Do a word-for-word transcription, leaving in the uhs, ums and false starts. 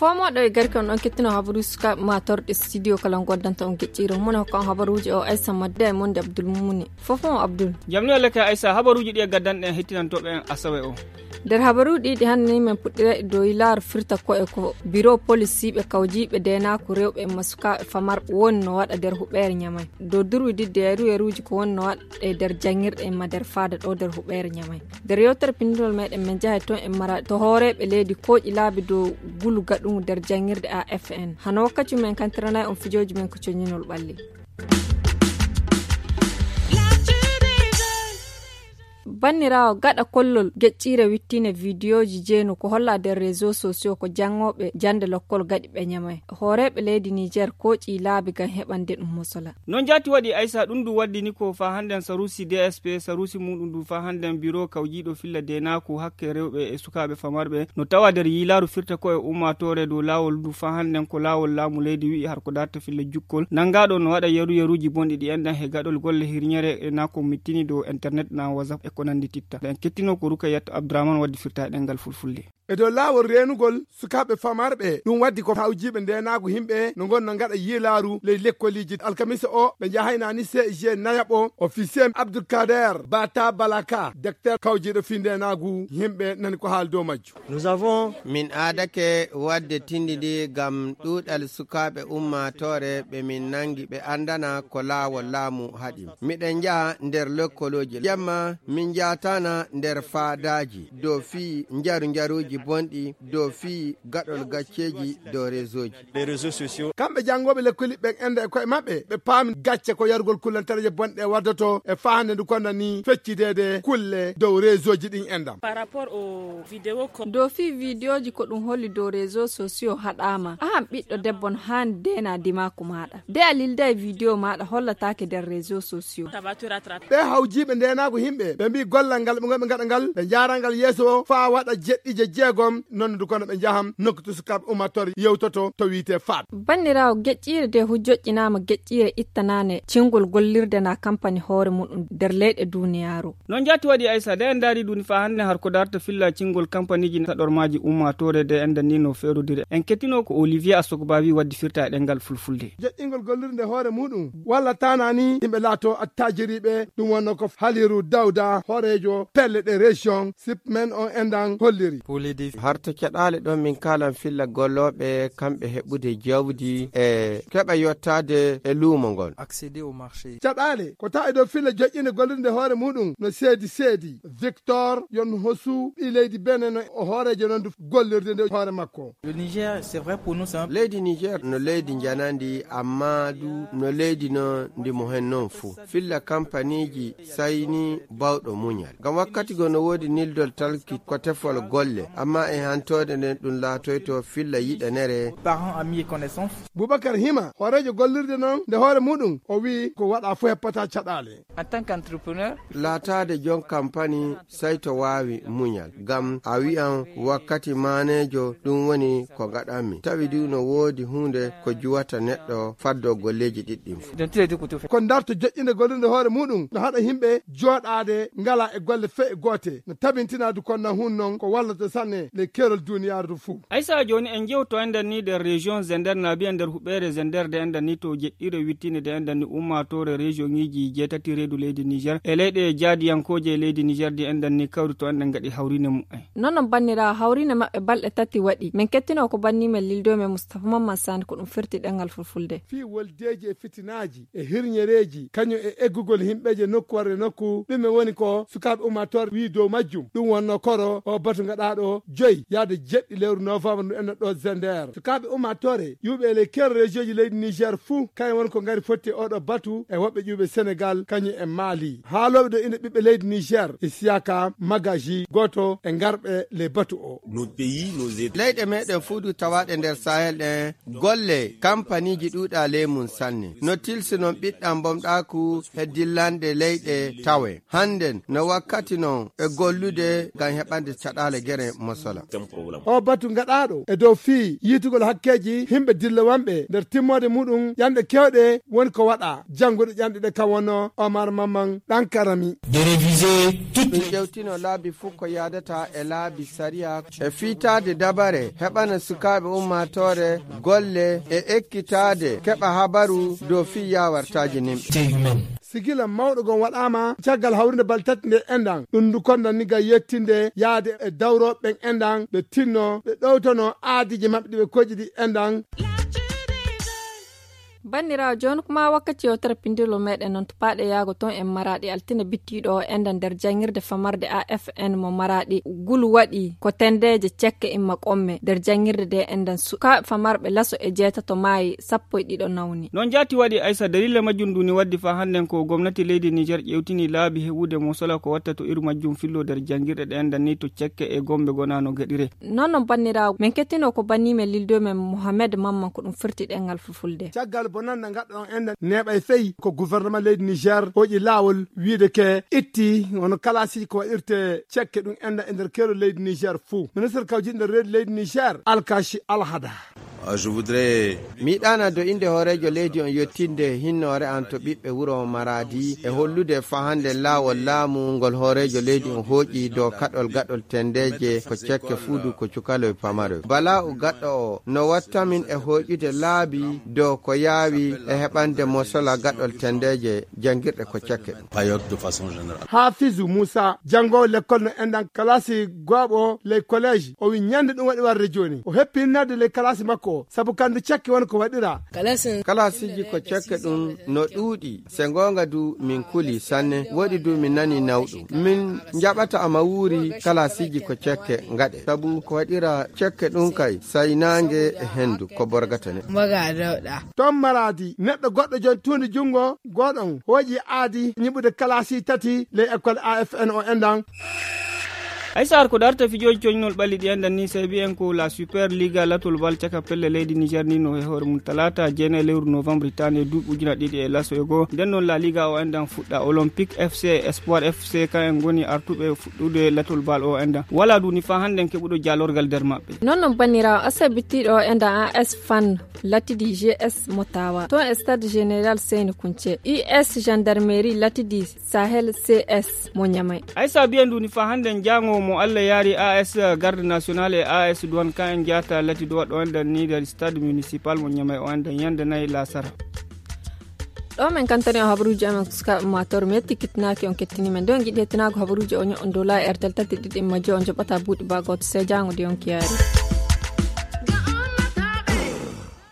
Fomoɗo e garke on ɗon kettino habaruuji sukaaɓe ma torɗe studio kala goddanta on gecciro mune hokka on habaruuji o aysa madde e monde abdul mumuni. Fof mo abdul. Jamni walla ka aysa habaruuji ɗi e gaddanɗe en hettinantooɓe en asawe o. Nder habaruuji ɗi hannde ni men puɗɗira e dow yilaaru firta ko e ko biro polis siiɓe kawjiiɓe deenaaku rewɓe e masukaaɓe famarɓe woni no waɗa nder huɓeere ñamay dow durwi didde yaru yaruuji ko woni no waɗa e nder janngirɗe e ma nder faada ɗo nder huɓeere ñamay. Nder yewtere pinndinol meɗen men jahay toon en mara to hooreeɓe leydi kooƴi laabi dow gulu gaɗungu nder janngirde a f n hano wakkati men kantiranay on fijooji men ko coñinol ɓalli. Banniraawo gaɗa kollol geƴƴiire wittine vidiyooji jeenu ko holla nder réseau sociaux ko janngooɓe jannde lokkol gaɗi ɓe ñamay hooreeɓe leydi niger kooƴi laabi ngam heɓande ɗum mosola. Non jaati waɗi aysa ɗum ndu waddini ko fa hannden sarusi d s p sarusi muɗum ndu fa hannden biro kawjiiɗo filla deenaaku hakke rewɓe e sukaaɓe famarɓe no tawa nder yiilaaru firta ko e ummaatoore dow laawol ndu fa hannden ko laawol laamu leydi wi'i har ko darta filla jukkol nanngaaɗo no waɗa yeru yeruuji bonɗi ɗi enɗan he gaɗol golle hirñere e na ko mittini dow internet na whatsapp e ko nanndi titta en kettino ko rukayat abdourahman waddi firta e ɗenngal fulfulde. E dow laawol reenugol sukaaɓe famarɓe ɗum waddi ko hawjiiɓe ndeenaagu yimɓe no ngon no ngaɗa yiilaaru ley lekkoliiji alkamisa o ɓe njahaynaani c g nayaɓo officier abdoulkader bata balaka docteur kawjiiɗo fii ndeenaagu yimɓe nani ko haali dow majju. Nous avons min aadake waɗde tindi ndi ngam ɗuuɗal sukaaɓe ummaatoore ɓe min nanngi ɓe anndana ko laawol laamu haɗi miɗen njaha nder lekkolooji jamma min njaatana nder faadaaji dow fii njaru njaruuji bonɗi dow fii gaɗol gacceeji dow réseauji. Les réseaux sociaux. Kamɓe janngooɓe lekkoli ɓen enda e koye maɓɓe ɓe paami gacce ko yarugol kullantareeje bonɗe waddoto e faande ndu konna ni feccideede kulle dow réseauji ɗin endam. Par rapport au vidéo ko dow fii vidéoji ko ɗum holli dow réseau sociaux haɗaama ahan ɓiɗɗo debbo no haani deena dimaku maaɗa de a lilday vidéo maaɗa hollataake nder réseau sociaux. Ɓe hawjiiɓe ndeenaagu yimɓe ɓe mbii gollal ngal ɓe ngonɓe ngaɗa ngal ɓe njaaral ngal yeeso faa waɗa jeɗɗiije jeegom nonnudu kono ɓe njaham nokku to sukaaɓe ummatore yewtoto to wiite faat. Banniraawo geƴƴiire de hu joƴƴinaama geƴƴiire ittanaane cingol gollirde na kampani hoore muɗum nder leyɗe duuniyaaru. Noon jaati waɗi aysa de en ndaari ɗum faa hannde har ko darta filla cingol kampaniiji saɗormaaji ummaatoore de en dannino feerudire en kettino ko olivier asogbawi waddi firta e ɗenngal fulfulde. Joƴƴingol gollirde hoore muɗum walla tanani yimɓe laato attajiriiɓe ɗum wonno ko haliru dawda hooreejo pelle ɗe région sip men on endan holliri. Harta caɗaale ɗon min kaalan filla gollooɓe kamɓe heɓude jawdi e keɓa yottaade e luumo ngol. Accéder au marché. Caɗaale ko tawa e dow filla joƴƴinde gollirde hoore muɗum no seedi seedi victor yon hosu ɓi leydi bene no o hooreejo non du gollirde nde hoore makko. Le niger c'est vrai pour nous c'est un leydi niger no leydi njanandi amma du no leydi no ndi mo hen noon fuu filla kampaniiji sayni bawɗo muñal ngam wakkati go no woodi nildol talki ko tefol golle amma e hantoode nden ɗum laatoyto filla yiɗanere. Parents amis et connaissances. Boubacar hima hooreejo gollirde noon nde hoore muɗum o wi'i ko waɗa fof heppata caɗaale. En tant qu'entrepreneur. Laataade joom kampani sey to waawi muñal ngam a wi'an wakkati maaneejo ɗum woni ko ngaɗanmi tawi du no woodi huunde ko juwata neɗɗo faddo golleeji ɗiɗɗin fof. Ko ndarto joƴƴinde gollirde hoore muɗum no haɗa yimɓe jooɗaade ngala e golle fey e goote no tabintina du konna hun noon ko wallata sanne ley keerol duuniyaaru du fuu. Aysa jooni en jewto enɗen ni nder région zender naabi en nder huɓeere zender de enɗen ni to jeɗɗire wittinde de enɗen ni ummaatoore région ŋiji jeetati reedu leydi niger e leyɗe jaadiyankooje e leydi niger de enɗen ni kawri to enɗen ngaɗi hawrine mumen. Nonon banniraawo hawrine maɓɓe balɗe tati waɗi min kettino ko banni men lildo men mustapha mamman sani ko ɗum firti ɗengal fulfulde. Fii woldeeji e fitinaaji e hirñereeji kañum e eggugol yimɓeeje nokku warde nokku ɗume woni ko sukaaɓe ummaatoore wii dow majjum ɗum wonno koro o batu ngaɗaaɗo joyi yahde jeɗɗi lewru novembre ndu enno ɗo zender sukaaɓe ummaatoore yuɓe e ley kero région ji leydi niger fuu kañum woni ko ngari fotti e oɗo batu e woɓɓe ƴuɓe sénégal kañum e mali haalooɓe ɗo inde ɓiɓɓe leydi niger e siyaka magaji gooto e ngarɓe ley batu o. Leyɗe meɗen fuu du tawaaɗe nder sahel ɗen golle kampaniiji ɗuuɗa ley mum sanne no tilsi non ɓiɗɗan bomɗaaku he dillanɗe leyɗe tawe hannden no wakkati non e gollude ngam heɓande caɗaale gere mosola. O batu gaɗaaɗo e dow fii yiitugol hakkeeji himɓe dillowanɓe nder timmoode muɗum ƴanɗe kewɗe woni ko waɗa. Jannguɗo ƴanɗe ɗe kam wonno Omar Mamman Ɗankarami. De réviser toutes ɗum les ƴewtino laabi fof ko yaadata e laabi sariya e fiitaade dabare heɓana sukaaɓe ummaatoore golle e ekkitaade keɓa habaru dow fii yaawartaaji nimɓe. Sigila mawɗo gon waɗaama caggal hawrinde baltatti nde enɗan ɗum ndu kondan ni ga yettinde yaade e dawrooɓe ɓen enɗan ɓe tinno ɓe ɗowtono aadiiji maɓɓe ɗi ɓe koƴƴi ɗi enɗan. Banndiraawo, jooni kuma wakkati yewtere pinndilol meɗen noon to paaɗe yaago toon en Maraaɗi altine bittiiɗo o enɗan nder janngirde famarde A F N mo Maraaɗi. Gulu waɗi ko tendeeje cekke imma qomme nder janngirde nde enɗan sukaaɓe famarɓe laso e jeetato maayi sappo e ɗiɗo nawni. Noon jaati waɗi Aysa, dalila majjum ndu ni waddi faa hannden ko gomnati leydi Niger ƴewtini laabi heɓude mosola ko watta to iru majjum fillo nder janngirɗe ɗe enɗan ni to cekke e gombe gonano gaɗire. Noon noon banndiraawo, min kettino ko banni men lildo men Mohamed Mamman ko ɗum firti ɗengal fulfulde. Caggal bonannde ngadɗo on enɗan neeɓay fey ko gouvernement leydi Niger hoƴi laawol wiide ke itti wano kalaasiji ko waɗirte cekke ɗum enɗan e nder keero leydi Niger fuu. Ministre kawjiɗo nder reedu leydi Niger, Alkashi Alhada. Ah, je voudrais mi yiɗaana do innde hooreejo leydi on yettinde hinnoore an to ɓiɓɓe wuro Maradi e hollude fahande laawol laamu ngol hooreejo leydi on hooƴi dow kaɗol gaɗol tendeeje ko cekke fuudu ko cukaloy pamaroy. Balaa o gaɗɗo o no watta min e hooƴude laabi dow ko yaawi e heɓande mosola gaɗol tendeeje janngirɗe ko cekke ɗum. Payot de façon générale. Hafizu Musa, janngoowo lekkol no enɗan kalaasi gooɓo ley collège, o wi ñande ɗum waɗi warde jooni. O heppi hinnade ley kalaasi makko o, sabu kandu cekke woni ko waɗira. Kalaasiiji ko cekke ɗum no ɗuuɗi, se ngoonga du min kuli sanne, woɗi du min nani nawɗum. Min njaɓata ama wuuri kalaasiiji ko cekke ngaɗe, sabu ko waɗira cekke ɗum kay, say naange e hendu ko borgata ne. Mbaga dawɗa. Toon Maradi, neɗɗo goɗɗo jon tuundi junngo, gooɗon hooƴi aadi ñiɓude kalaasi tati ley école A F N o enɗan. Ay sahar ko darta fijooji coñnol ɓalli ɗi enɗan ni, sabi en ko La Super Liga latol bal caka pelle leydi Niger ni no e hoore mum talaata jeenayi lewru novembre hitaande duuɓi ujuna ɗiɗi e laso e goo. Nden noon La Liga o enɗan fuɗɗa Olympique F C e Espoir F C kan en ngoni artuɓe fuɗɗude latol bal o enɗan. Wala du ni faa hannden keɓuɗo jaalorgal nder maɓɓe. Noon noon banniraawo asabitiiɗo o enɗan A S Fan Latidi G S mo Tawa. Toon e Stade Général Seyni Kunce. U S Gendarmerie Latidi Sahel C S mo Ñamay. Ay sa biyen du ni faa hannden jaango mo Allah yaari A S Garde Nationale e A S Douane kan en jaata latido waɗɗo enɗan ni nder Stade Municipal mo Ñamay o enɗan yande nayi laasara. Ɗo men kantani on habaruuji amen sukaaɓe ummaatoore, mi yetti kittinaaki on kettini men. Nde on ngiɗi hettinaago habaruuji o ño'on dow laayi Airtel tati ɗiɗi majjo on joɓata buuɗi baa gooto. Sey jaango de on kiyaari.